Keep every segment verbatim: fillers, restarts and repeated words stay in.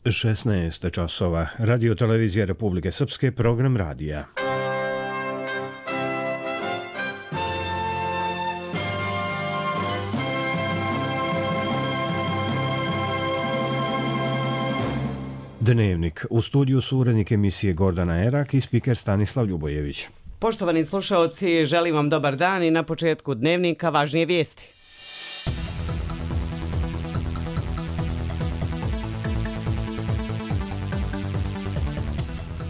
šesnaest časova. Radio televizija Republike Srpske, program radija. Dnevnik. U studiju su urednik emisije Gordana Erak i spiker Stanislav Ljubojević. Poštovani slušaoci, želim vam dobar dan i na početku dnevnika važnije vijesti.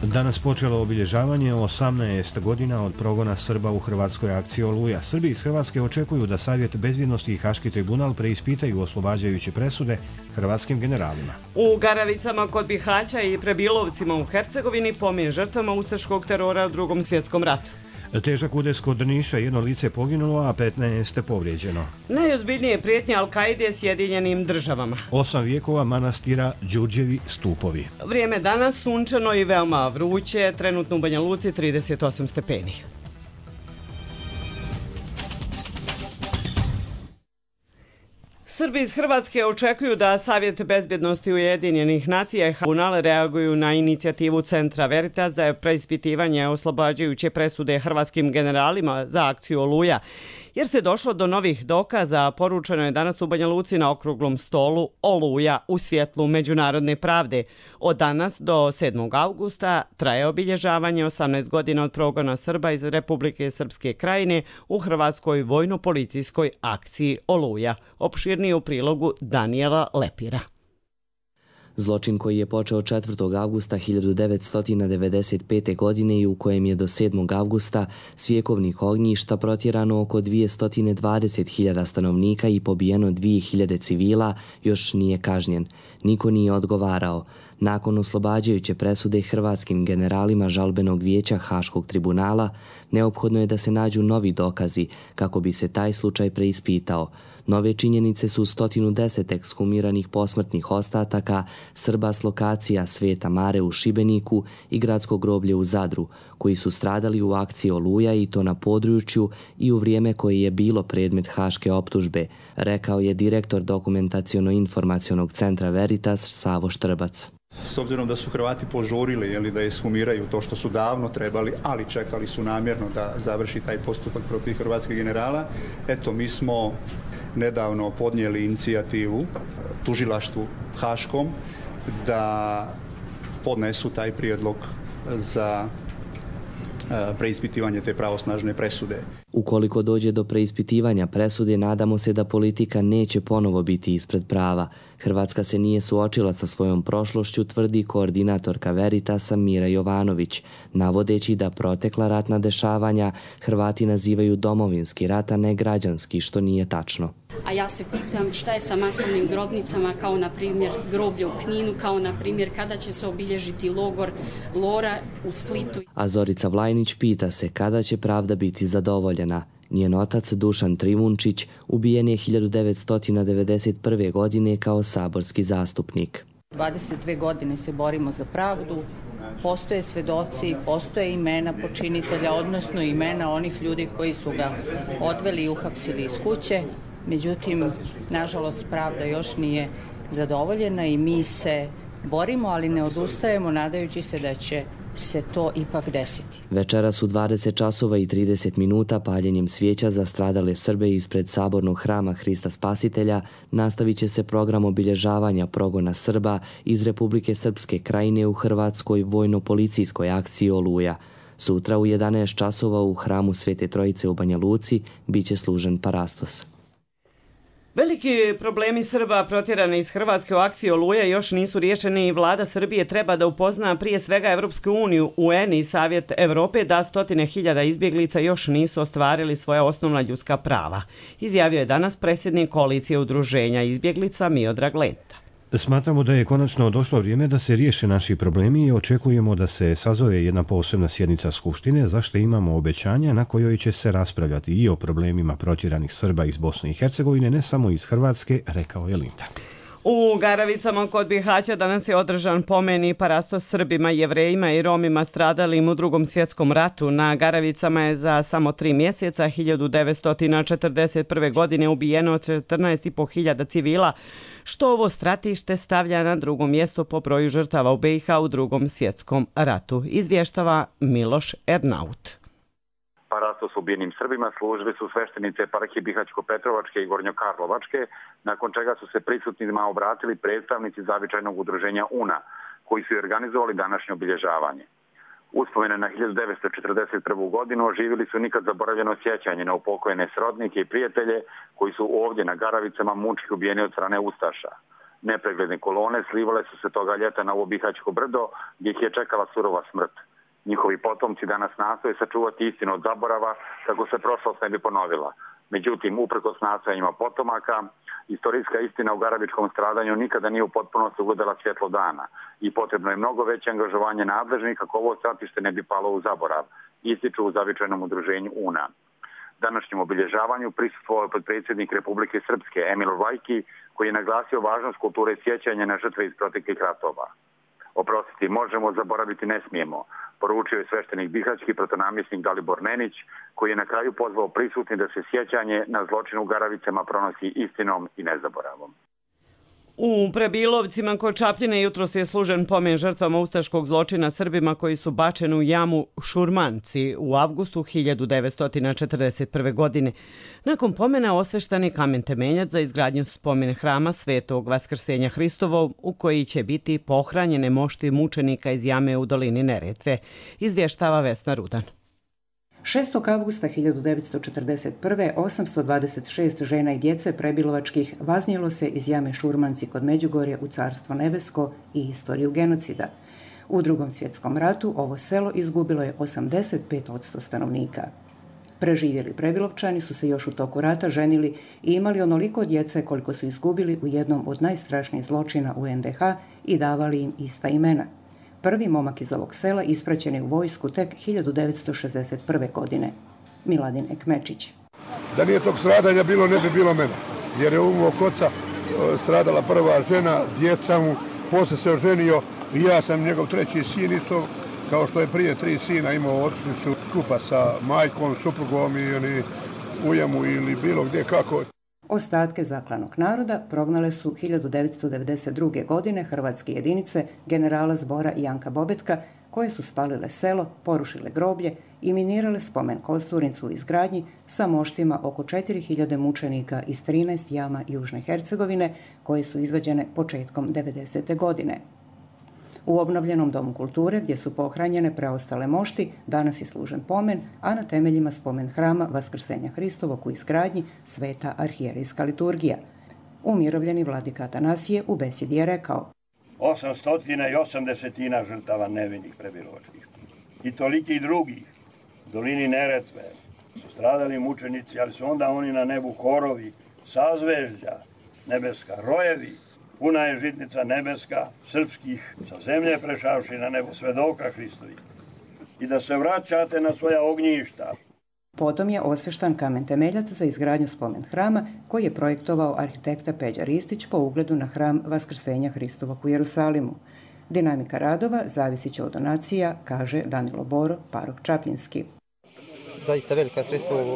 Danas počelo obilježavanje osamnaest godina od progona Srba u hrvatskoj akciji Oluja. Srbi iz Hrvatske očekuju da Savjet bezbjednosti i Haški tribunal preispitaju oslobađajuće presude hrvatskim generalima. U Garavicama kod Bihaća i Prebilovcima u Hercegovini pomen žrtvama ustaškog terora u Drugom svjetskom ratu. Težak udes kod Niša, jedno lice poginulo, a petnaest povrijeđeno. Najozbiljnije prijetnje Al-Kaide Sjedinjenim državama. Osam vijekova manastira Đurđevi stupovi. Vrijeme danas sunčano i veoma vruće, trenutno u Banja Luci trideset osam stepeni. Srbi iz Hrvatske očekuju da Savjet bezbjednosti Ujedinjenih nacija i tribunal reaguju na inicijativu Centra Veritas za preispitivanje oslobađajuće presude hrvatskim generalima za akciju Oluja, jer se došlo do novih dokaza. Poručeno je danas u Banja Luci na okruglom stolu Oluja u svjetlu međunarodne pravde. Od danas do sedmog avgusta traje obilježavanje osamnaest godina od progona Srba iz Republike Srpske krajine u hrvatskoj vojno-policijskoj akciji Oluja. Opširnije u prilogu Danijela Lepira. Zločin koji je počeo četvrtog avgusta hiljadu devetsto devedeset pete. godine i u kojem je do sedmog avgusta s vjekovnih ognjišta protjerano oko dvjesto dvadeset hiljada stanovnika i pobijeno dvije hiljade civila, još nije kažnjen. Niko nije odgovarao. Nakon oslobađajuće presude hrvatskim generalima žalbenog vijeća Haškog tribunala, neophodno je da se nađu novi dokazi kako bi se taj slučaj preispitao. Nove činjenice su sto deset ekshumiranih posmrtnih ostataka Srba s lokacija Sveta Mare u Šibeniku i gradsko groblje u Zadru, koji su stradali u akciji Oluja i to na području i u vrijeme koje je bilo predmet haške optužbe, rekao je direktor dokumentaciono-informacionog centra Veritas Savo Štrbac. S obzirom da su Hrvati požurili jeli, da ekshumiraju to što su davno trebali, ali čekali su namjerno da završi taj postupak protiv hrvatskih generala, eto mi smo nedavno podnijeli inicijativu tužilaštvu haškom da podnesu taj prijedlog za preispitivanje te pravosnažne presude. Ukoliko dođe do preispitivanja presude, nadamo se da politika neće ponovo biti ispred prava. Hrvatska se nije suočila sa svojom prošlošću, tvrdi koordinatorka Veritasa Mira Jovanović, navodeći da protekla ratna dešavanja Hrvati nazivaju domovinski rat, a ne građanski, što nije tačno. A ja se pitam šta je sa masovnim grobnicama, kao na primjer groblje u Kninu, kao na primjer kada će se obilježiti logor Lora u Splitu. A Zorica Vlajnić pita se kada će pravda biti zadovoljena. Njen otac Dušan Trivunčić ubijen je hiljadu devetsto devedeset prve. godine kao saborski zastupnik. dvadeset dvije godine se borimo za pravdu, postoje svedoci, postoje imena počinitelja, odnosno imena onih ljudi koji su ga odveli i uhapsili iz kuće. Međutim, nažalost, pravda još nije zadovoljena i mi se borimo, ali ne odustajemo, nadajući se da će se to ipak desiti. Večeras u dvadeset časova i trideset minuta paljenjem svijeća za stradale Srbe ispred sabornog hrama Hrista Spasitelja nastavit će se program obilježavanja progona Srba iz Republike Srpske krajine u hrvatskoj vojno-policijskoj akciji Oluja. Sutra u jedanaest časova u hramu Svete Trojice u Banja Luci biće služen parastos. Veliki problemi Srba protjerani iz Hrvatske u akciji Oluja još nisu riješeni i vlada Srbije treba da upozna prije svega Evropsku uniju, U N i Savjet Evrope da stotine hiljada izbjeglica još nisu ostvarili svoja osnovna ljudska prava, izjavio je danas predsjednik koalicije udruženja izbjeglica Miodrag Lenta. Smatramo da je konačno došlo vrijeme da se riješe naši problemi i očekujemo da se sazove jedna posebna sjednica Skupštine, zašto imamo obećanja na kojoj će se raspravljati i o problemima protjeranih Srba iz Bosne i Hercegovine, ne samo iz Hrvatske, rekao je Linta. U Garavicama kod Bihaća danas je održan pomen i parastos Srbima, Jevrejima i Romima stradalim u Drugom svjetskom ratu. Na Garavicama je za samo tri mjeseca hiljadu devetsto četrdeset prve. godine ubijeno četrnaest i po hiljada civila, što ovo stratište stavlja na drugo mjesto po broju žrtava u B i H u Drugom svjetskom ratu. Izvještava Miloš Ernaut. Parastos ubijenim Srbima služili su sveštenice eparhije Bihać-Petrovačke i Gornjokarlovačke, nakon čega su se prisutnima obratili predstavnici zavičajnog udruženja U N A, koji su organizovali današnje obilježavanje. Uspomene na hiljadu devetsto četrdeset prvu. godinu oživili su nikad zaboravljeno sjećanje na upokojene srodnike i prijatelje koji su ovdje na Garavicama mučki ubijeni od strane ustaša. Nepregledne kolone slivale su se toga ljeta na ovo Bihaćko brdo, gdje ih je čekala surova smrt. Njihovi potomci danas nastoje sačuvati istinu od zaborava kako se prošlost ne bi ponovila. Međutim, uprkos nastojanjima potomaka, istorijska istina u garavičkom stradanju nikada nije u potpunosti ugledala svjetlo dana i potrebno je mnogo veće angažovanje nadležnih kako ovo stratište ne bi palo u zaborav, ističu u zavičajnom udruženju U N A. Današnjem obilježavanju prisustvovao je potpredsjednik Republike Srpske Emil Vajki, koji je naglasio važnost kulture sjećanja na žrtve iz proteklih ratova. Oprostiti možemo, zaboraviti ne smijemo, poručio je sveštenik bihaćki protonamjesnik Dalibor Nenić, koji je na kraju pozvao prisutni da se sjećanje na zločin u Garavicama pronosi istinom i nezaboravom. U Prebilovcima kod Čapljine jutros je služen pomen žrtvama ustaškog zločina Srbima koji su bačeni u jamu Šurmanci u avgustu hiljadu devetsto četrdeset prve. godine. Nakon pomena osveštan je kamen temeljac za izgradnju spomen hrama Svetog Vaskrsenja Hristovog, u koji će biti pohranjene mošti mučenika iz jame u dolini Neretve, izvještava Vesna Rudan. šestog avgusta hiljadu devetsto četrdeset prve. osamsto dvadeset šest žena i djece prebilovačkih vaznijelo se iz jame Šurmanci kod Međugorja u Carstvo nebesko i istoriju genocida. U Drugom svjetskom ratu ovo selo izgubilo je osamdeset pet posto stanovnika. Preživjeli prebilovčani su se još u toku rata ženili i imali onoliko djece koliko su izgubili u jednom od najstrašnijih zločina u N D H i davali im ista imena. Prvi momak iz ovog sela ispraćen je u vojsku tek hiljadu devetsto šezdeset prve. godine. Miladin Ekmečić. Da nije tog stradanja bilo, ne bi bilo mene. Jer je u mog oca stradala prva žena, djeca mu, posle se oženio i ja sam njegov treći sin isto, kao što je prije tri sina imao, otišli su skupa sa majkom, suprugom ili u jamu ili bilo gdje kako. Ostatke zaklanog naroda prognale su hiljadu devetsto devedeset druge. godine hrvatske jedinice generala zbora Janka Bobetka, koje su spalile selo, porušile groblje i minirale spomen kosturnicu u izgradnji sa moštima oko četiri hiljade mučenika iz trinaest jama Južne Hercegovine, koje su izvađene početkom devedesete. godine. U obnovljenom domu kulture, gdje su pohranjene preostale mošti, danas je služen pomen, a na temeljima spomen hrama Vaskrsenja Hristovog u izgradnji Sveta arhijerijska liturgija. Umirovljeni vladika Atanasije u besjedi je rekao: osamsto osamdeset žrtava nevinih prebilovačkih i toliki drugih u dolini Neretve su stradali mučenici, ali su onda oni na nebu horovi, sazvežđa nebeska, rojevi. Puna je žitnica nebeska, srpskih, sa zemlje prešavši na nebo svedoka Hristovi. I da se vraćate na svoja ognjišta. Potom je osveštan kamen temeljac za izgradnju spomen hrama, koji je projektovao arhitekta Peđa Ristić po ugledu na hram Vaskrsenja Hristovog u Jerusalimu. Dinamika radova zavisit će od donacija, kaže Danilo Boro, parok Čapljinski. Zaista velika sredstva u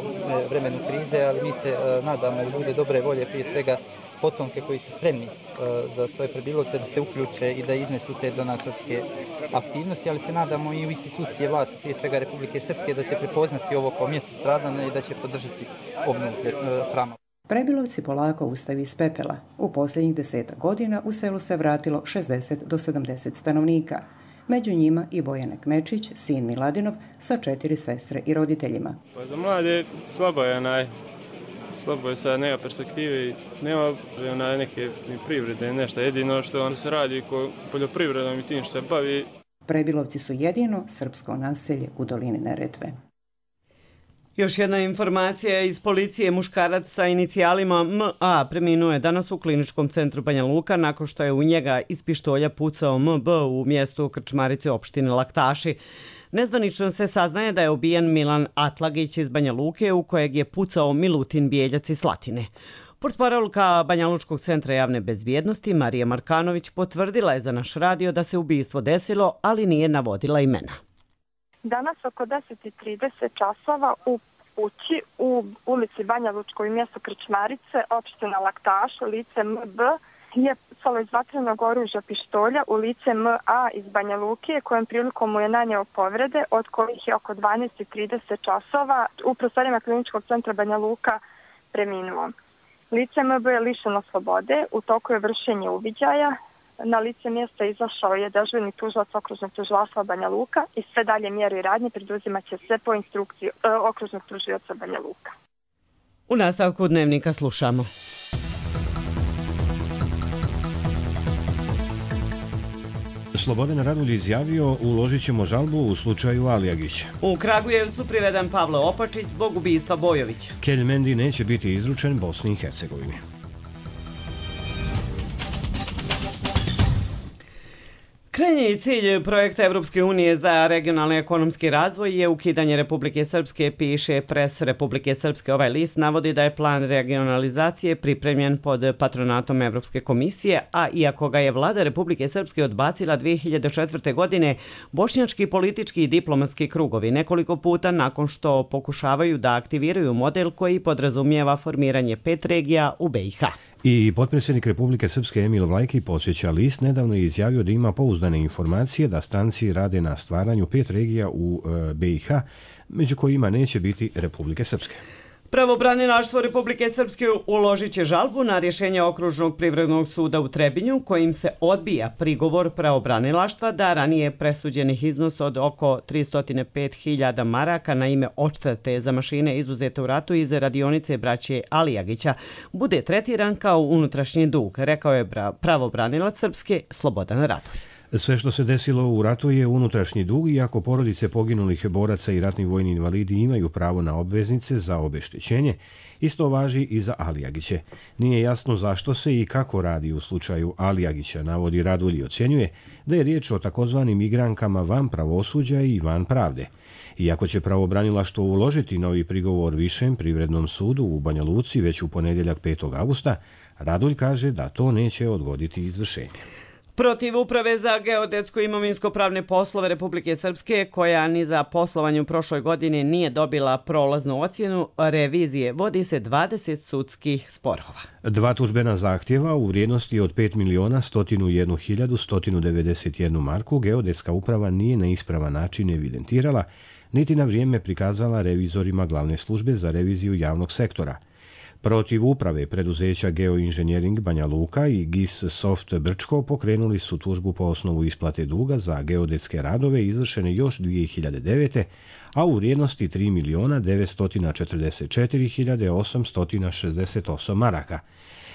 vremenu krize, ali mi se nadamo u ljude dobre volje, prije svega potomke koji su spremni za svoje prebilovce da se uključe i da iznesu te donatorske aktivnosti, ali se nadamo i u institucije vlasti, prije svega Republike Srpske, da će prepoznati ovo kao mjesto stradanja i da će podržati obnovu hrama. Prebilovci polako ustaju iz pepela. U posljednjih desetak godina u selu se vratilo šezdeset do sedamdeset stanovnika. Među njima i Bojan Ekmečić, sin Miladinov, sa četiri sestre i roditeljima. Za mlade slabo je onaj, slabo je sad, nema perspektive i nema onaj neke ni privrede, nešto jedino što on se radi ko poljoprivredom i tim što se bavi. Prebilovci su jedino srpsko naselje u dolini Neretve. Još jedna informacija iz policije. Muškarac sa inicijalima M A preminuo je danas u kliničkom centru Banja Luka nakon što je u njega iz pištolja pucao M B u mjestu Krčmarice opštine Laktaši. Nezvanično se saznaje da je ubijen Milan Atlagić iz Banja Luke, u kojeg je pucao Milutin Bijeljac iz Slatine. Portparolka Banjalučkog centra javne bezbjednosti Marija Markanović potvrdila je za naš radio da se ubistvo desilo, ali nije navodila imena. Danas oko deset i trideset časova u kući u ulici Banja Lučkoj mjesto Krčmarice, opština Laktaš, lice M B, je pucalo iz vatrenog oružja pištolja u lice M A iz Banja Luke, kojem prilikom mu je naneo povrede, od kojih je oko dvanaest i trideset časova u prostorijama Kliničkog centra Banja Luka preminuo. Lice M B je lišeno slobode, u toku je vršenje uviđaja. Na lice mjesta izašao je dežurni tužilac okružnog tužilaštva Banja Luka i sve dalje mjere i radnje preduzimat će se po instrukciji e, okružnog tužioca Banja Luka. U nastavku dnevnika slušamo. Slobodan Radulj izjavio uložit ćemo žalbu u slučaju Alijagić. U Kragujevcu priveden Pavle Opačić zbog ubistva Bojovića. Kelj Mendi neće biti izručen Bosni i Hercegovini. Krajnji cilj projekta Evropske unije za regionalni ekonomski razvoj je ukidanje Republike Srpske, piše Pres Republike Srpske. Ovaj list navodi da je plan regionalizacije pripremljen pod patronatom Evropske komisije, a iako ga je vlada Republike Srpske odbacila dvije hiljade četvrte. godine, bošnjački politički i diplomatski krugovi nekoliko puta nakon što pokušavaju da aktiviraju model koji podrazumijeva formiranje pet regija u B i H. I potpredsjednik Republike Srpske Emil Vlajki, podsjeća list, nedavno je izjavio da ima pouzdane informacije da stranci rade na stvaranju pet regija u B i H, među kojima neće biti Republike Srpske. Pravobranilaštvo Republike Srpske uložit će žalbu na rješenje Okružnog privrednog suda u Trebinju, kojim se odbija prigovor pravobranilaštva da ranije presuđenih iznos od oko tristo pet hiljada maraka na ime odštete za mašine izuzete u ratu iz radionice braće Alijagića bude tretiran kao unutrašnji dug, rekao je pravobranilac Srpske Slobodan Radulj. Sve što se desilo u ratu je unutrašnji dug, iako porodice poginulih boraca i ratni vojni invalidi imaju pravo na obveznice za obeštećenje, isto važi i za Alijagiće. Nije jasno zašto se i kako radi u slučaju Alijagića, navodi Radulj i ocjenjuje da je riječ o takozvanim igrankama van pravosuđa i van pravde. Iako će pravobranilaštvo uložiti novi prigovor Višem privrednom sudu u Banja Luci već u ponedjeljak petog avgusta, Radulj kaže da to neće odgoditi izvršenje. Protiv Uprave za geodetsko-imovinsko-pravne poslove Republike Srpske, koja ni za poslovanje u prošloj godini nije dobila prolaznu ocjenu revizije, vodi se dvadeset sudskih sporova. Dva tužbena zahtjeva u vrijednosti od pet miliona sto jedna hiljada sto devedeset jedna marku geodetska uprava nije na ispravan način evidentirala, niti na vrijeme prikazala revizorima glavne službe za reviziju javnog sektora. Protiv uprave preduzeća Geoinženjering Banja Luka i G I S Soft Brčko pokrenuli su tužbu po osnovu isplate duga za geodetske radove izvršene još dvije hiljade devete. a u vrijednosti tri miliona devetsto četrdeset četiri hiljade osamsto šezdeset osam maraka.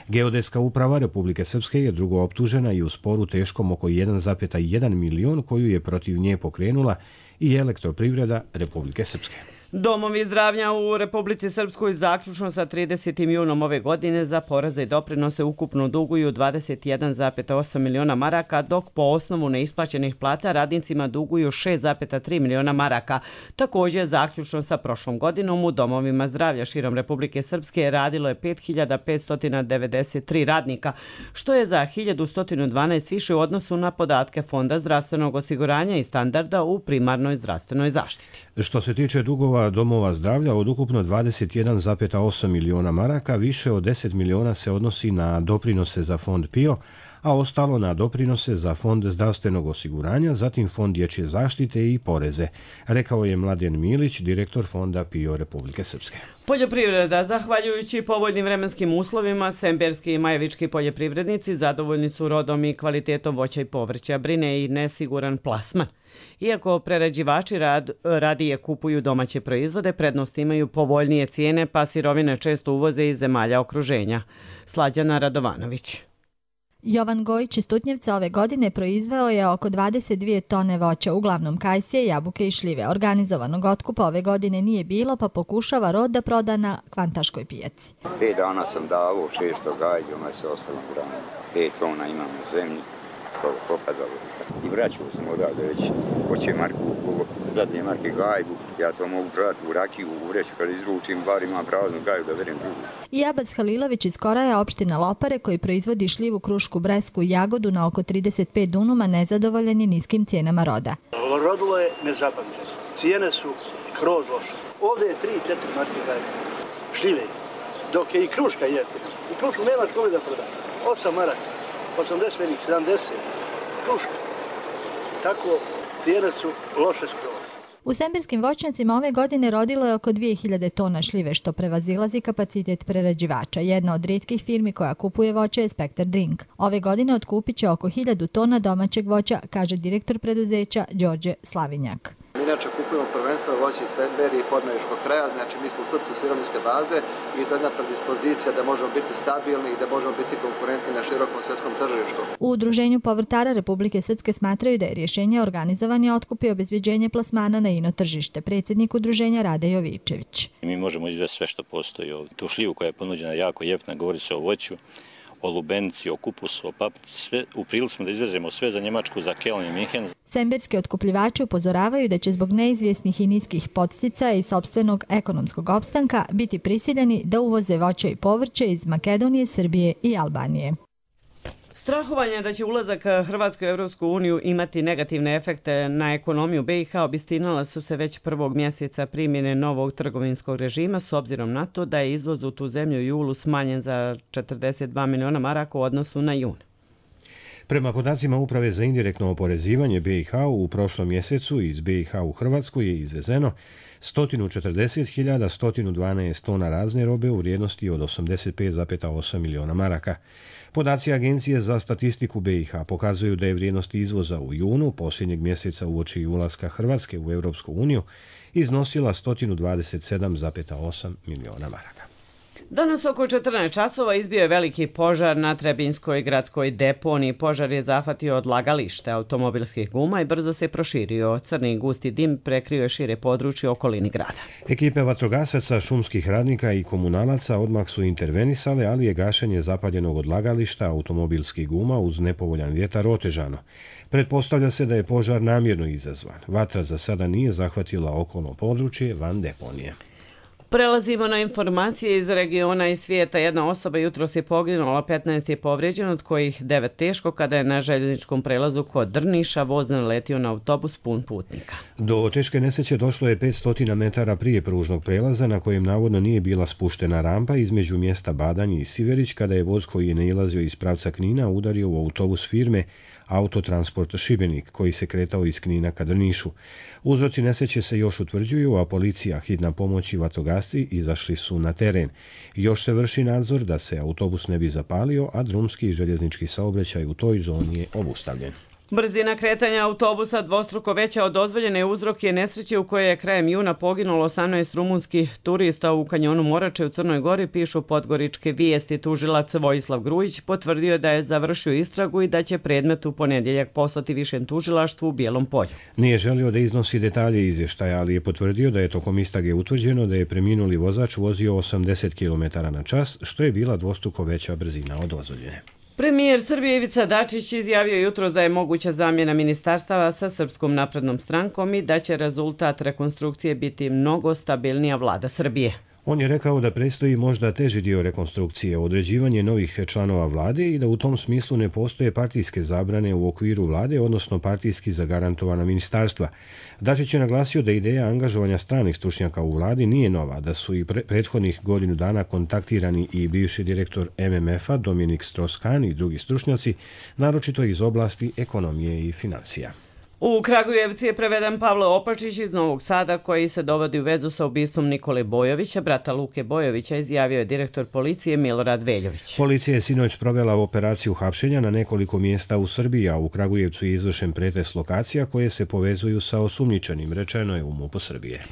Geodetska uprava Republike Srpske je drugo optužena i u sporu teškom oko jedan zarez jedan milion koju je protiv nje pokrenula i Elektroprivreda Republike Srpske. Domovi zdravlja u Republici Srpskoj zaključno sa tridesetim junom ove godine za poreze i doprinose ukupno duguju dvadeset jedan zarez osam miliona maraka, dok po osnovu neisplaćenih plata radnicima duguju šest zarez tri miliona maraka. Također, zaključno sa prošlom godinom u domovima zdravlja širom Republike Srpske radilo je pet hiljada petsto devedeset tri radnika, što je za hiljadu sto dvanaest više u odnosu na podatke Fonda zdravstvenog osiguranja i standarda u primarnoj zdravstvenoj zaštiti. Što se tiče dugova domova zdravlja, od ukupno dvadeset jedan zarez osam miliona maraka, više od deset miliona se odnosi na doprinose za fond P I O, a ostalo na doprinose za Fond zdravstvenog osiguranja, zatim Fond dječje zaštite i poreze, rekao je Mladen Milić, direktor Fonda P I O Republike Srpske. Poljoprivreda. Zahvaljujući povoljnim vremenskim uslovima, semberski i majevički poljoprivrednici zadovoljni su rodom i kvalitetom voća i povrća, brine i nesiguran plasman. Iako prerađivači rad, radije kupuju domaće proizvode, prednost imaju povoljnije cijene, pa sirovine često uvoze iz zemalja okruženja. Slađana Radovanović. Jovan Gojić iz Tutnjevca ove godine proizveo je oko dvadeset dvije tone voća, uglavnom kajsije, jabuke i šljive. Organizovanog otkupa ove godine nije bilo, pa pokušava rod da proda na kvantaškoj pijaci. Pet dana sam davo, šesto gajđu, me se ostalo hrana. Pet tona imam na zemlji, propadalo. I vraćao sam odavde već, hoće Marku, zadnje marke gajbu, ja to mogu prodati u rakiju, u vreću, kada izručim, bar imam praznu gaju da verem drugu. I Abbas Halilović iz Koraja, opština Lopare, koji proizvodi šljivu, krušku, bresku i jagodu na oko trideset pet dunuma, nezadovoljan je niskim cijenama roda. Rodilo je nezapamćeno. Cijene su skroz loše. Ovdje je tri četiri marke gajbe, šljive, dok je i kruška jeftina. I krušku nemaš kome da prodaš. osam maraka, osamdeset, sedamdeset, kruška. Tako cijene su loše skroz. U sembirskim voćnjacima ove godine rodilo je oko dvije hiljade tona šljive, što prevazilazi kapacitet prerađivača. Jedna od rijetkih firmi koja kupuje voće je Spektar Drink. Ove godine otkupit će oko hiljadu tona domaćeg voća, kaže direktor preduzeća Đorđe Slavinjak. Mi inače kupujemo prvenstveno voće iz Semberije i podmajvičkog kraja, znači mi smo u srcu sirovinske baze i to je jedna predispozicija da možemo biti stabilni i da možemo biti konkurentni na širokom svjetskom tržištu. U Udruženju povrtara Republike Srpske smatraju da je rješenje organizovani otkup i obezbjeđenje plasmana na ino tržište. Predsjednik udruženja Rade Jovičević. Mi možemo izvesti sve što postoji ovdje. Tu šljivu koja je ponuđena jako jeftina, govori se o voću, o lubenici, o kupusu, o paprici, sve, u prilici smo da izvezemo sve za Njemačku, za Keln i Minhen. Semberski otkupljivači upozoravaju da će zbog neizvjesnih i niskih podsticaja i sopstvenog ekonomskog opstanka biti prisiljeni da uvoze voće i povrće iz Makedonije, Srbije i Albanije. Strahovanje da će ulazak Hrvatske u Evropsku uniju imati negativne efekte na ekonomiju B i H obistinala su se već prvog mjeseca primjene novog trgovinskog režima, s obzirom na to da je izvoz u tu zemlju u julu smanjen za četrdeset dva miliona maraka u odnosu na jun. Prema podacima Uprave za indirektno oporezivanje B i H u prošlom mjesecu iz B i H u Hrvatsku je izvezeno sto četrdeset hiljada sto dvanaest tona razne robe u vrijednosti od osamdeset pet zarez osam miliona maraka. Podaci Agencije za statistiku B i H pokazuju da je vrijednost izvoza u junu posljednjeg mjeseca uoči ulaska Hrvatske u Europsku uniju iznosila sto dvadeset sedam zarez osam miliona maraka. Danas oko četrnaest časova izbio je veliki požar na Trebinskoj gradskoj deponiji. Požar je zahvatio odlagalište automobilskih guma i brzo se proširio. Crni gusti dim prekrio je šire područje okolini grada. Ekipe vatrogasaca, šumskih radnika i komunalaca odmah su intervenisale, ali je gašenje zapaljenog odlagališta automobilskih guma uz nepovoljan vjetar otežano. Pretpostavlja se da je požar namjerno izazvan. Vatra za sada nije zahvatila okolno područje van deponije. Prelazimo na informacije iz regiona i svijeta. Jedna osoba jutros je poginula, petnaest je povrijeđeno, od kojih devet teško kada je na željezničkom prelazu kod Drniša voz naletio na autobus pun putnika. Do teške nesreće došlo je petsto metara prije pružnog prelaza na kojem navodno nije bila spuštena rampa između mjesta Badanje i Siverić kada je voz koji je nailazio iz pravca Knina udario u autobus firme Autotransport Šibenik, koji se kretao iz Knina ka Drnišu. Uzroci nesreće se još utvrđuju, a policija, hitna pomoć i vatrogasci izašli su na teren. Još se vrši nadzor da se autobus ne bi zapalio, a drumski i željeznički saobraćaj u toj zoni je obustavljen. Brzina kretanja autobusa dvostruko veća od dozvoljene uzrok je nesreće u kojoj je krajem juna poginulo osamnaest rumunskih turista u kanjonu Morače u Crnoj Gori, pišu podgoričke vijesti. Tužilac Vojislav Grujić potvrdio da je završio istragu i da će predmet u ponedjeljak poslati višem tužilaštvu u Bijelom Polju. Nije želio da iznosi detalje izvještaja, ali je potvrdio da je tokom istrage utvrđeno da je preminuli vozač vozio osamdeset kilometara na čas, što je bila dvostruko veća brzina od dozvoljene. Premijer Srbije Ivica Dačić izjavio jutros da je moguća zamjena ministarstava sa Srpskom naprednom strankom i da će rezultat rekonstrukcije biti mnogo stabilnija vlada Srbije. On je rekao da predstoji možda teži dio rekonstrukcije, određivanje novih članova vlade i da u tom smislu ne postoje partijske zabrane u okviru vlade, odnosno partijski zagarantovana ministarstva. Dačić je naglasio da ideja angažovanja stranih stručnjaka u vladi nije nova, da su i pre prethodnih godinu dana kontaktirani i bivši direktor M M F-a Dominik Strauss-Kahn i drugi stručnjaci, naročito iz oblasti ekonomije i financija. U Kragujevci je preveden Pavle Opačić iz Novog Sada, koji se dovodi u vezu sa ubistvom Nikole Bojovića, brata Luke Bojovića, izjavio je direktor policije Milorad Veljović. Policija je sinoć provela operaciju hapšenja na nekoliko mjesta u Srbiji, a u Kragujevcu je izvršen pretres lokacija koje se povezuju sa osumnjičenim, rečeno je u MUP-u Srbije.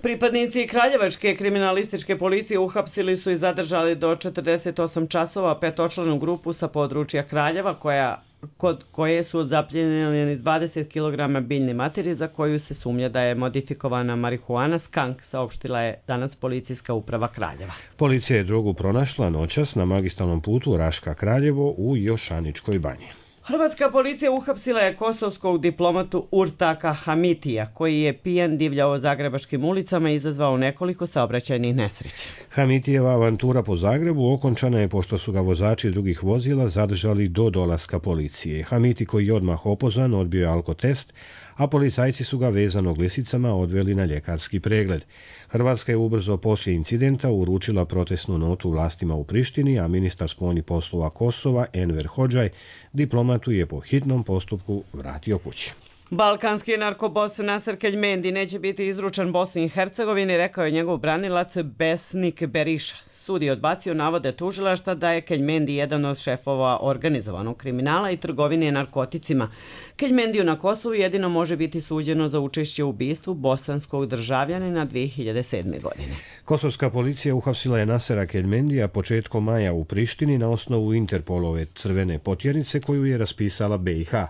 Pripadnici Kraljevačke kriminalističke policije uhapsili su i zadržali do četrdeset osam časova petočlanu grupu sa područja Kraljeva, koja kod koje su zapljenjeni dvadeset kilograma biljne materije za koju se sumnja da je modifikovana marihuana skank, saopštila je danas policijska uprava Kraljeva. Policija je drogu pronašla noćas na magistralnom putu Raška Kraljevo u Jošaničkoj banji. Hrvatska policija uhapsila je kosovskog diplomatu Urtaka Hamitija, koji je pijan divljao zagrebačkim ulicama i izazvao nekoliko saobraćajnih nesreća. Hamitijeva avantura po Zagrebu okončana je pošto su ga vozači drugih vozila zadržali do dolaska policije. Hamiti, koji je odmah opozvan, odbio je alkotest, a policajci su ga vezanog lisicama odveli na ljekarski pregled. Hrvatska je ubrzo poslije incidenta uručila protestnu notu vlastima u Prištini, a ministar spoljnih poslova Kosova Enver Hodžaj diplomatu je po hitnom postupku vratio kući. Balkanski narkobos Naser Keljmendi neće biti izručen Bosni i Hercegovini, rekao je njegov branilac Besnik Beriša. Sud je odbacio navode tužilaštva da je Keljmendi jedan od šefova organizovanog kriminala i trgovine narkoticima. Keljmendiju na Kosovu jedino može biti suđeno za učešće u ubistvu bosanskog državljanina dvije hiljade sedme. godine. Kosovska policija uhapsila je Nasera Keljmendija početkom maja u Prištini na osnovu Interpolove crvene potjernice koju je raspisala be i ha.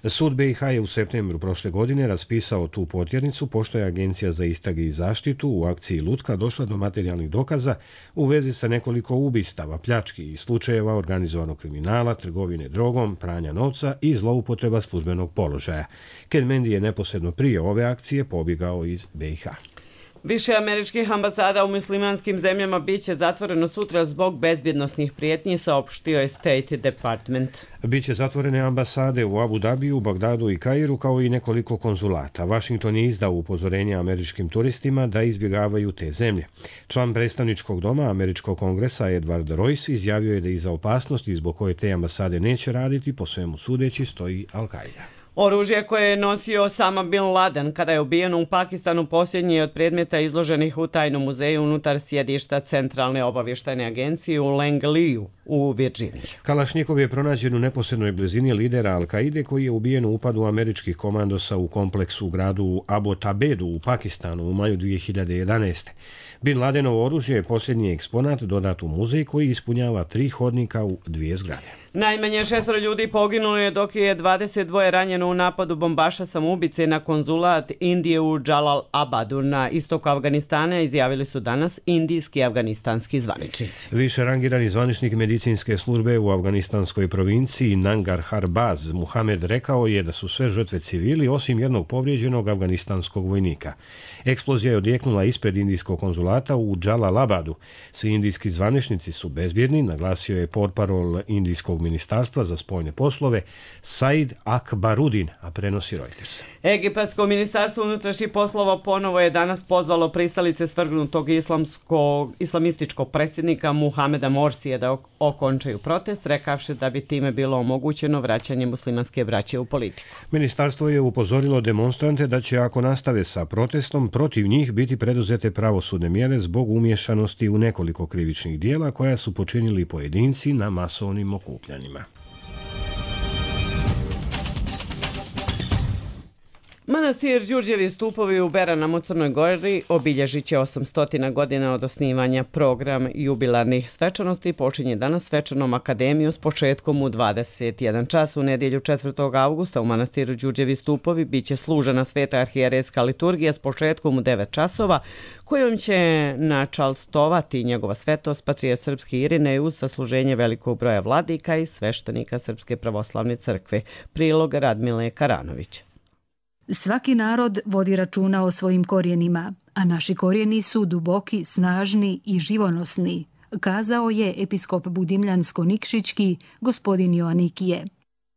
Sud be i ha je u septembru prošle godine raspisao tu potjernicu pošto je Agencija za istrage i zaštitu u akciji Lutka došla do materijalnih dokaza u vezi sa nekoliko ubistava, pljački i slučajeva organizovanog kriminala, trgovine drogom, pranja novca i zloupotreba službenog položaja. Keljmendi je neposredno prije ove akcije pobjegao iz be i ha. Više američkih ambasada u muslimanskim zemljama biće zatvoreno sutra zbog bezbjednosnih prijetnji, saopštio je State Department. Biće zatvorene ambasade u Abu Dabiju, Bagdadu i Kairu, kao i nekoliko konzulata. Washington je izdao upozorenje američkim turistima da izbjegavaju te zemlje. Član predstavničkog doma američkog kongresa Edward Royce izjavio je da iza opasnosti zbog koje te ambasade neće raditi, po svemu sudeći, stoji Al-Qaida. Oružje koje je nosio Osama Bin Laden kada je ubijen u Pakistanu posljednji je od predmeta izloženih u tajnom muzeju unutar sjedišta Centralne obavještajne agencije u Langliju u Virginiji. Kalašnjikov je pronađen u neposrednoj blizini lidera Al-Qaide koji je ubijen u upadu američkih komandosa u kompleksu u gradu Abbottabadu u Pakistanu u maju dvije hiljade jedanaeste. Bin Ladenovo oružje je posljednji eksponat dodat u muzej koji ispunjava tri hodnika u dvije zgrade. Najmanje šestero ljudi poginulo je dok je dvadeset dvoje ranjeno u napadu bombaša samoubice na konzulat Indije u Džalalabadu na istoku Afganistana, izjavili su danas indijski i afganistanski zvaničnici. Više rangirani zvaničnik medicinske službe u afganistanskoj provinciji Nangarhar Baz Muhamed rekao je da su sve žrtve civili osim jednog povrijeđenog afganistanskog vojnika. Eksplozija je odjeknula ispred indijskog konzulata u Džalalabadu. Svi indijski zvaničnici su bezbjedni, naglasio je portparol indijskog ministarstva za spoljne poslove Said Akbarudin, a prenosi Reuters. Egipatsko ministarstvo unutrašnjih poslova ponovo je danas pozvalo pristalice svrgnutog islamskog, islamističkog predsjednika Muhameda Morsije da okončaju protest, rekavši da bi time bilo omogućeno vraćanje muslimanske braće u politiku. Ministarstvo je upozorilo demonstrante da će, ako nastave sa protestom, protiv njih biti preduzete pravosudne mjere zbog umješanosti u nekoliko krivičnih dijela koja su počinili pojedinci na masovnim okupljanjima. Manastir Đurđevi stupovi u Beranama u Crnoj Gori obilježit će osamsto godina od osnivanja. Program jubilarnih svečanosti počinje danas svečanom akademiju s početkom u dvadeset jedan čas. U nedjelju četvrtog avgusta u manastiru Đurđevi stupovi bit će služena sveta arhijerejska liturgija s početkom u devet časova, kojom će načalstovati njegova svetost patrijarh srpski Irinej uz sasluženje velikog broja vladika i sveštenika Srpske pravoslavne crkve. Prilog Radmile Karanović. Svaki narod vodi računa o svojim korijenima, a naši korijeni su duboki, snažni i živonosni, kazao je episkop Budimljansko-Nikšićki gospodin Joanikije.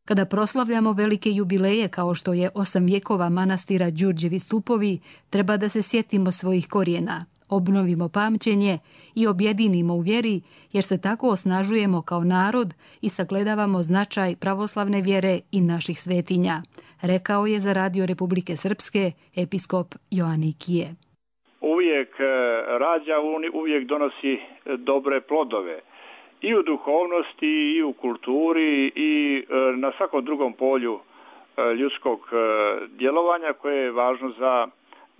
Kada proslavljamo velike jubileje kao što je osam vjekova manastira Đurđevi stupovi, treba da se sjetimo svojih korijena, obnovimo pamćenje i objedinimo u vjeri, jer se tako osnažujemo kao narod i sagledavamo značaj pravoslavne vjere i naših svetinja, rekao je za Radio Republike Srpske episkop Joanikije. Uvijek rađa, uvijek donosi dobre plodove i u duhovnosti i u kulturi i na svakom drugom polju ljudskog djelovanja koje je važno za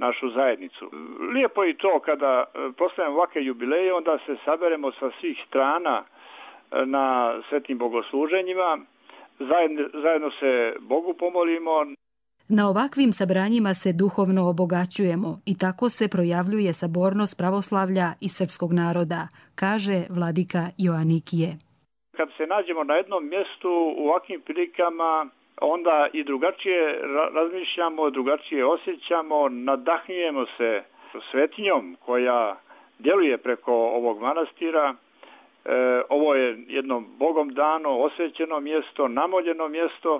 našu zajednicu. Lijepo je i to kada proslavljamo ovakve jubileje, onda se saberemo sa svih strana na svetnim bogosluženjima, zajedno, zajedno se Bogu pomolimo. Na ovakvim sabranjima se duhovno obogaćujemo i tako se projavljuje sabornost pravoslavlja i srpskog naroda, kaže vladika Joanikije. Kad se nađemo na jednom mjestu u ovakvim prilikama, onda i drugačije razmišljamo, drugačije osjećamo, nadahnjujemo se svetinjom koja djeluje preko ovog manastira. E, ovo je jedno Bogom dano, osvećeno mjesto, namoljeno mjesto.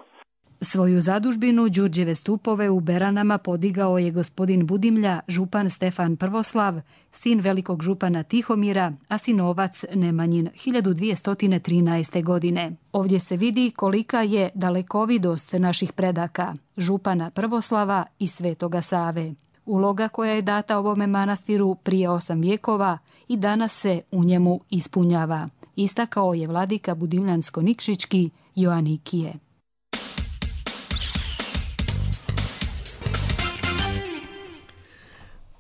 Svoju zadužbinu Đurđeve stupove u Beranama podigao je gospodin Budimlja, župan Stefan Prvoslav, sin velikog župana Tihomira, a sinovac Nemanjin hiljadu dvjesto trinaeste. godine. Ovdje se vidi kolika je dalekovidost naših predaka, župana Prvoslava i Svetoga Save. Uloga koja je data ovome manastiru prije osam vjekova i danas se u njemu ispunjava, istakao je vladika Budimljansko-Nikšićki Joanikije.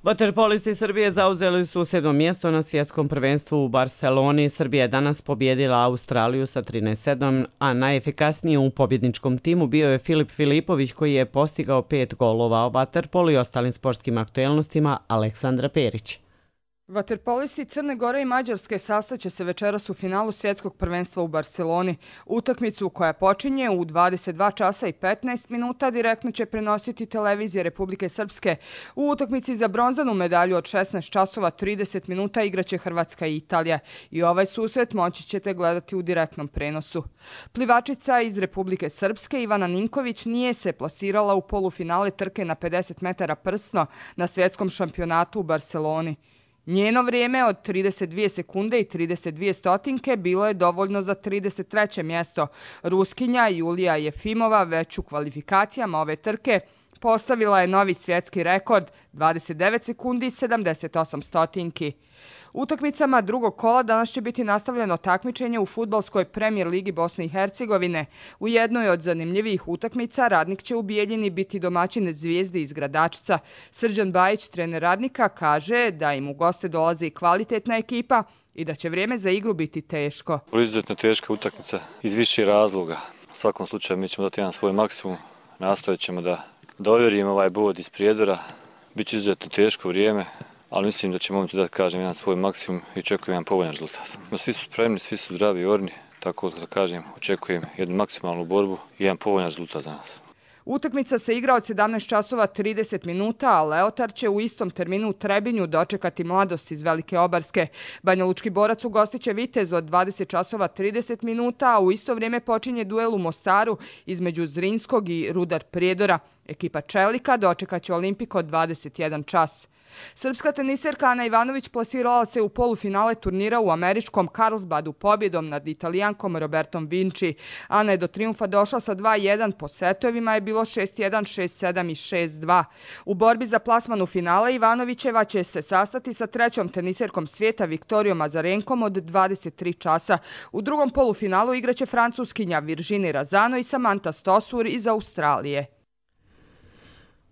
Vaterpolisti Srbije zauzeli su sedmo mjesto na svjetskom prvenstvu u Barceloni. Srbija je danas pobjedila Australiju sa trinaest sedam, a najefikasniji u pobjedničkom timu bio je Filip Filipović koji je postigao pet golova. O vaterpolu i ostalim sportskim aktuelnostima Aleksandra Perić. Vaterpolisti Crne Gore i Mađarske sastaće se večeras u finalu svjetskog prvenstva u Barceloni. Utakmicu koja počinje u dvadeset dva časa i petnaest minuta direktno će prenositi televizije Republike Srpske. U utakmici za bronzanu medalju od šesnaest časova trideset minuta igraće Hrvatska i Italija. I ovaj susret moći ćete gledati u direktnom prenosu. Plivačica iz Republike Srpske Ivana Ninković nije se plasirala u polufinale trke na pedeset metara prsno na svjetskom šampionatu u Barceloni. Njeno vrijeme od trideset dvije sekunde i trideset dvije stotinke bilo je dovoljno za trideset treće mjesto. Ruskinja Julija Jefimova već u kvalifikacijama ove trke postavila je novi svjetski rekord dvadeset devet sekundi i sedamdeset osam stotinki. Utakmicama drugog kola danas će biti nastavljeno takmičenje u fudbalskoj premijer ligi Bosne i Hercegovine. U jednoj od zanimljivijih utakmica Radnik će u Bijeljini biti domaćin Zvijezde iz Gradačca. Srđan Bajić, trener Radnika, kaže da im u goste dolazi i kvalitetna ekipa i da će vrijeme za igru biti teško. Izuzetno teška utakmica iz više razloga. U svakom slučaju mi ćemo dati jedan svoj maksimum. Nastojat ćemo da dovjerimo ovaj bod iz Prijedora. Biće izuzetno teško vrijeme, ali mislim da će momci da kažem jedan svoj maksimum i očekujem jedan povoljan rezultat. Svi su spremni, svi su zdravi i orni, tako da kažem, očekujem jednu maksimalnu borbu i jedan povoljan rezultat za nas. Utakmica se igra od sedamnaest časova trideset minuta, a Leotar će u istom terminu u Trebinju dočekati Mladost iz Velike Obarske. Banjalučki Borac ugostiće Vitez od dvadeset časova trideset minuta, a u isto vrijeme počinje duel u Mostaru između Zrinskog i Rudar Prijedora. Ekipa Čelika dočekaće Olimpik od dvadeset jedan čas. Srpska teniserka Ana Ivanović plasirala se u polufinale turnira u američkom Carlsbadu pobjedom nad Italijankom Robertom Vinci. Ana je do trijumfa došla sa dva jedan, po setovima je bilo šest jedan, šest sedam i šest dva. U borbi za plasman u finale Ivanovićeva će se sastati sa trećom teniserkom svijeta Viktorijom Azarenkom od dvadeset tri časa. U drugom polufinalu igraće Francuskinja Virginie Razano i Samantha Stosur iz Australije.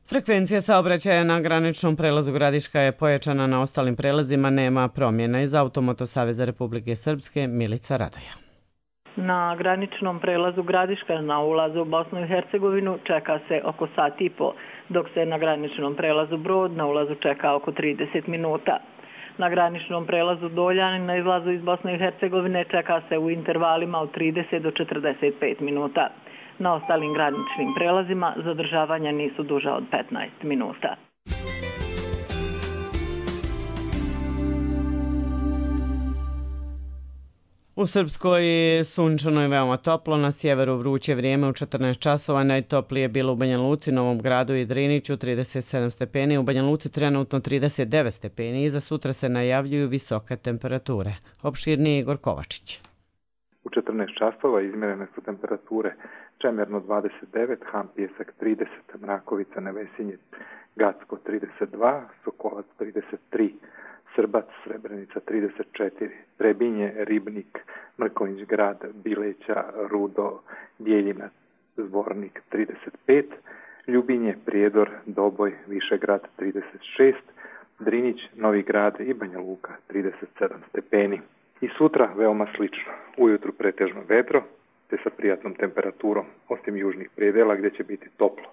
Frekvencija saobraćaja na graničnom prelazu Gradiška je pojačana, na ostalim prelazima nema promjena. Iz Automoto Saveza Republike Srpske Milica Radoja. Na graničnom prelazu Gradiška na ulazu u Bosnu i Hercegovinu čeka se oko sat i po, dok se na graničnom prelazu Brod na ulazu čeka oko trideset minuta. Na graničnom prelazu Doljan na izlazu iz Bosne i Hercegovine čeka se u intervalima od trideset do četrdeset pet minuta. Na ostalim graničnim prelazima zadržavanja nisu duža od petnaest minuta. U Srpskoj sunčano je veoma toplo, na sjeveru vruće vrijeme u četrnaest časova, najtoplije je bilo u Banja Luci, Novom Gradu i Driniću trideset sedam stepeni, u Banja Luci trenutno trideset devet stepeni i za sutra se najavljuju visoke temperature. Opširniji Igor Kovačić. U četrnaest časova izmjerene su temperature Čemerno dvadeset devet, Han Pjesak trideset, Mrakovica, Nevesinje, Gacko trideset dva, Sokolac trideset tri, Srbac, Srebrenica trideset četiri, Trebinje, Ribnik, Mrkonjić Grad, Bileća, Rudo, Bijeljina, Zvornik trideset pet, Ljubinje, Prijedor, Doboj, Višegrad trideset šest, Drinić, Novi Grad i Banja Luka trideset sedam stepeni. I sutra veoma slično, ujutru pretežno vedro, te sa prijatnom temperaturom, osim južnih predela gdje će biti toplo.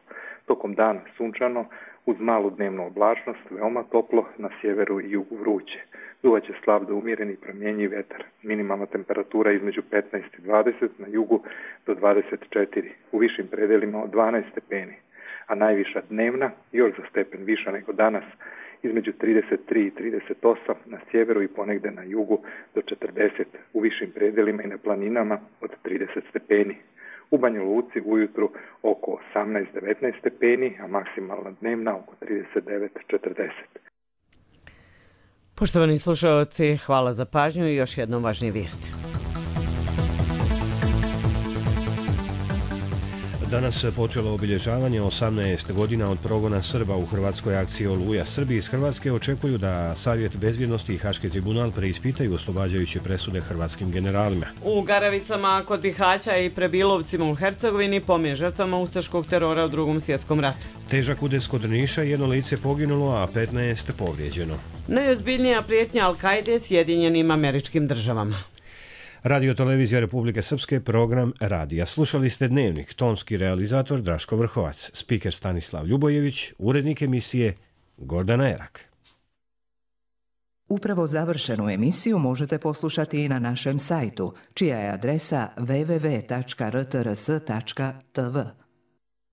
Tokom dana sunčano, uz malu dnevnu oblačnost, veoma toplo, na sjeveru i jugu vruće. Duvaće slab do umjereni promjenjiv vetar. Minimalna temperatura između petnaest i dvadeset, na jugu do dvadeset četiri, u višim predelima od dvanaest stepeni, a najviša dnevna još za stepen viša nego danas, između trideset tri i trideset osam na sjeveru i ponegde na jugu do četrdeset, u višim predelima i na planinama od trideset stepeni. U Banja Luci ujutru oko osamnaest devetnaest stepeni, a maksimalna dnevna oko trideset devet četrdeset. Poštovani slušalci, hvala za pažnju i još jednom važnije vijesti. Danas počelo obilježavanje osamnaest godina od progona Srba u hrvatskoj akciji Oluja. Srbi iz Hrvatske očekuju da Savjet bezbjednosti i Haški tribunal preispitaju oslobađajuće presude hrvatskim generalima. U Garavicama kod Bihaća i Prebilovcima u Hercegovini pomen žrtvama ustaškog terora u Drugom svjetskom ratu. Težak udes kod Niša, jedno lice poginulo, a petnaest povrijeđeno. Najozbiljnija prijetnja Al-Kaide Sjedinjenim Američkim Državama. Radio Televizija Republike Srpske, program Radija. Slušali ste Dnevnik, tonski realizator Draško Vrhovac, spiker Stanislav Ljubojević, urednik emisije Gordana Erak. Upravo završenu emisiju možete poslušati i na našem sajtu, čija je adresa w w w tačka r t r s tačka t v.